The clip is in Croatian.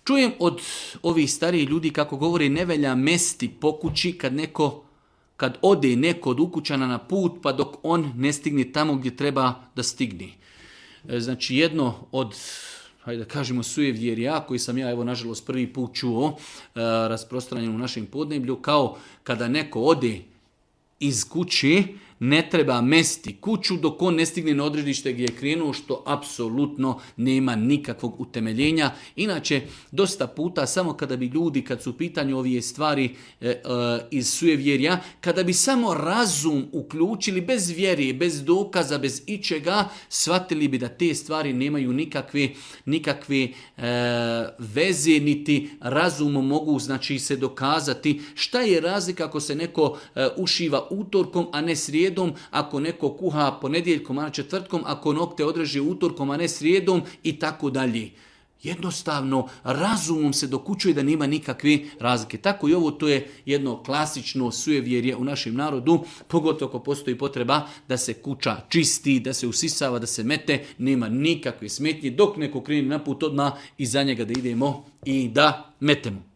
Čujem od ovih starijih ljudi kako govore ne velja mesti po kući kad ode neko od ukućana na put pa dok on ne stigne tamo gdje treba da stigne. Znači jedno od, hajde da kažemo, sujevjerja koji sam ja evo nažalost prvi put čuo rasprostranjeno u našem podneblju, kao kada neko ode iz kuće, ne treba mesti kuću dok on ne stigne na odredište gdje je krenuo, što apsolutno nema nikakvog utemeljenja. Inače, dosta puta samo kada bi ljudi, kad su u pitanju ove stvari iz sujevjerja, kada bi samo razum uključili bez vjere, bez dokaza, bez ičega, shvatili bi da te stvari nemaju nikakve veze, niti razumom mogu znači se dokazati. Šta je razlika ako se neko ušiva utorkom, a ne srijedom, ako neko kuha ponedjeljkom, a ne četvrtkom, ako nokte odreže utorkom, a ne srijedom i tako dalje. Jednostavno, razumom se dokučuje da nema nikakve razlike. Tako i ovo, to je jedno klasično sujevjerje u našem narodu, pogotovo ako postoji potreba da se kuća čisti, da se usisava, da se mete, nema nikakve smetnje, dok neko krene na put odmah iza njega da idemo i da metemo.